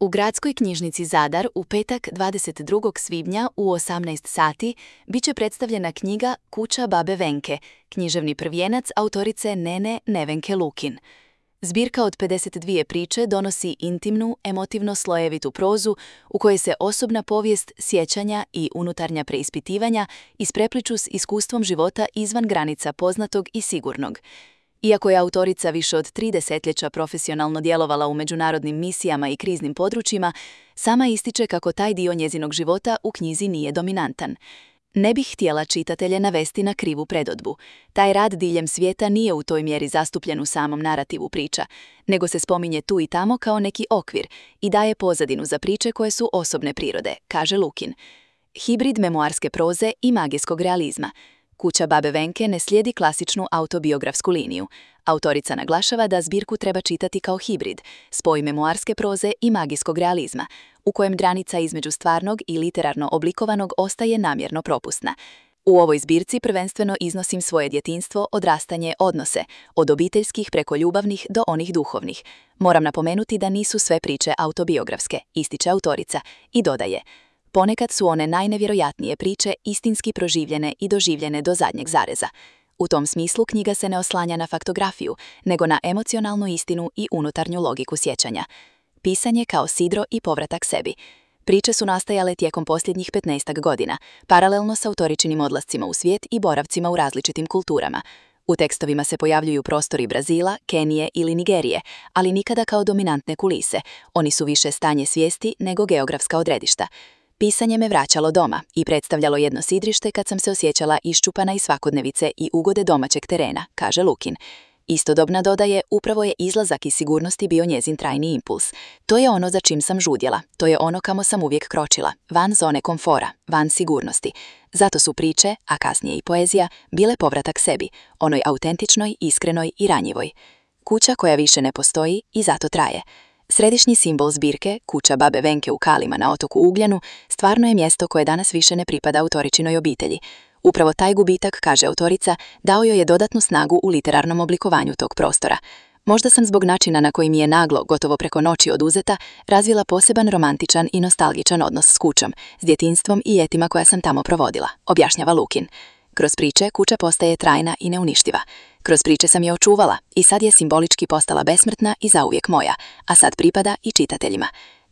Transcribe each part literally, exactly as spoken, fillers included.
U Gradskoj knjižnici Zadar u petak dvadeset drugog svibnja u osamnaest sati biće predstavljena knjiga Kuća babe Venke, književni prvijenac autorice Nene Nevenke Lukin. Zbirka od pedeset dvije priče donosi intimnu, emotivno slojevitu prozu u kojoj se osobna povijest, sjećanja i unutarnja preispitivanja isprepliču s iskustvom života izvan granica poznatog i sigurnog. Iako je autorica više od tri desetljeća profesionalno djelovala u međunarodnim misijama i kriznim područjima, sama ističe kako taj dio njezinog života u knjizi nije dominantan. Ne bih htjela čitatelje navesti na krivu predodbu. Taj rad diljem svijeta nije u toj mjeri zastupljen u samom narativu priča, nego se spominje tu i tamo kao neki okvir i daje pozadinu za priče koje su osobne prirode, kaže Lukin. Hibrid memoarske proze i magijskog realizma. Kuća babe Venke ne slijedi klasičnu autobiografsku liniju. Autorica naglašava da zbirku treba čitati kao hibrid, spoj memoarske proze i magijskog realizma, u kojem granica između stvarnog i literarno oblikovanog ostaje namjerno propusna. U ovoj zbirci prvenstveno iznosim svoje djetinjstvo, odrastanje, odnose, od obiteljskih preko ljubavnih do onih duhovnih. Moram napomenuti da nisu sve priče autobiografske, ističe autorica, i dodaje: ponekad su one najnevjerojatnije priče istinski proživljene i doživljene do zadnjeg zareza. U tom smislu knjiga se ne oslanja na faktografiju, nego na emocionalnu istinu i unutarnju logiku sjećanja. Pisanje kao sidro i povratak sebi. Priče su nastajale tijekom posljednjih petnaestak godina, paralelno s autoričinim odlascima u svijet i boravcima u različitim kulturama. U tekstovima se pojavljuju prostori Brazila, Kenije ili Nigerije, ali nikada kao dominantne kulise. Oni su više stanje svijesti nego geografska odredišta. Pisanje me vraćalo doma i predstavljalo jedno sidrište kad sam se osjećala iščupana iz svakodnevice i ugode domaćeg terena, kaže Lukin. Istodobna dodaje, upravo je izlazak iz sigurnosti bio njezin trajni impuls. To je ono za čim sam žudjela, to je ono kamo sam uvijek kročila, van zone komfora, van sigurnosti. Zato su priče, a kasnije i poezija, bile povratak sebi, onoj autentičnoj, iskrenoj i ranjivoj. Kuća koja više ne postoji i zato traje. Središnji simbol zbirke, kuća babe Venke u Kalima na otoku Ugljanu, stvarno je mjesto koje danas više ne pripada autoričinoj obitelji. Upravo taj gubitak, kaže autorica, dao joj je dodatnu snagu u literarnom oblikovanju tog prostora. Možda sam zbog načina na koji mi je naglo, gotovo preko noći oduzeta, razvila poseban romantičan i nostalgičan odnos s kućom, s djetinjstvom i ljetima koja sam tamo provodila, objašnjava Lukin. Kroz priče kuća postaje trajna i neuništiva. Kroz priče sam je očuvala i sad je simbolički postala besmrtna i zauvijek moja, a sad pripada i čitateljima.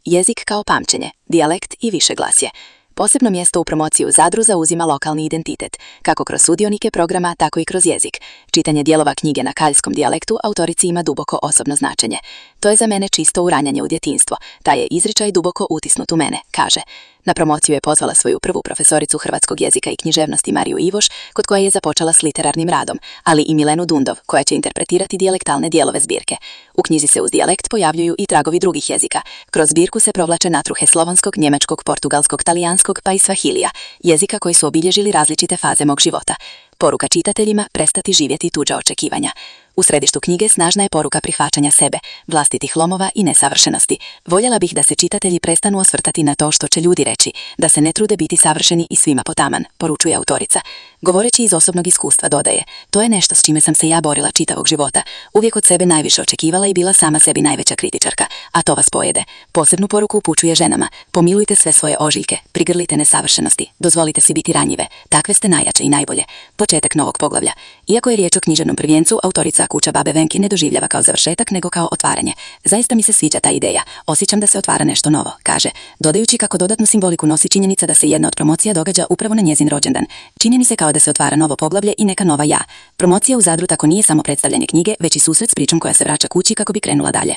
Jezik kao pamćenje, dijalekt i višeglasje. Posebno mjesto u promociji u Zadru zauzima lokalni identitet, kako kroz sudionike programa, tako i kroz jezik. Čitanje dijelova knjige na kaljskom dijalektu autorici ima duboko osobno značenje. To je za mene čisto uranjanje u djetinjstvo, taj je izričaj duboko utisnut u mene, kaže. Na promociju je pozvala svoju prvu profesoricu hrvatskog jezika i književnosti Mariju Ivoš, kod koje je započela s literarnim radom, ali i Milenu Dundov, koja će interpretirati dijalektalne dijelove zbirke. U knjizi se uz dijalekt pojavljuju i tragovi drugih jezika. Kroz zbirku se provlače natruhe slovanskog, njemačkog, portugalskog, talijanskog pa i svahilija, jezika koji su obilježili različite faze mog života. Poruka čitateljima: prestati živjeti tuđa očekivanja. U središtu knjige snažna je poruka prihvaćanja sebe, vlastitih lomova i nesavršenosti. Voljela bih da se čitatelji prestanu osvrtati na to što će ljudi reći, da se ne trude biti savršeni i svima potaman, poručuje autorica. Govoreći iz osobnog iskustva dodaje: to je nešto s čime sam se ja borila čitavog života. Uvijek od sebe najviše očekivala i bila sama sebi najveća kritičarka, a to vas pojede. Posebnu poruku upućuje ženama: pomilujte sve svoje ožiljke, prigrlite nesavršenosti, dozvolite si biti ranjive, takve ste najjače i najbolje. Početak novog poglavlja. Iako je riječ o književnom prvijencu, autorica Kuća babe Venke ne doživljava kao završetak nego kao otvaranje. Zaista mi se sviđa ta ideja. Osjećam da se otvara nešto novo, kaže, dodajući kako dodatnu simboliku nosi činjenica da se jedna od promocija događa upravo na njezin rođendan. Čini mi se kao da se otvara novo poglavlje i neka nova ja. Promocija u Zadru tako nije samo predstavljanje knjige, već i susret s pričom koja se vraća kući kako bi krenula dalje.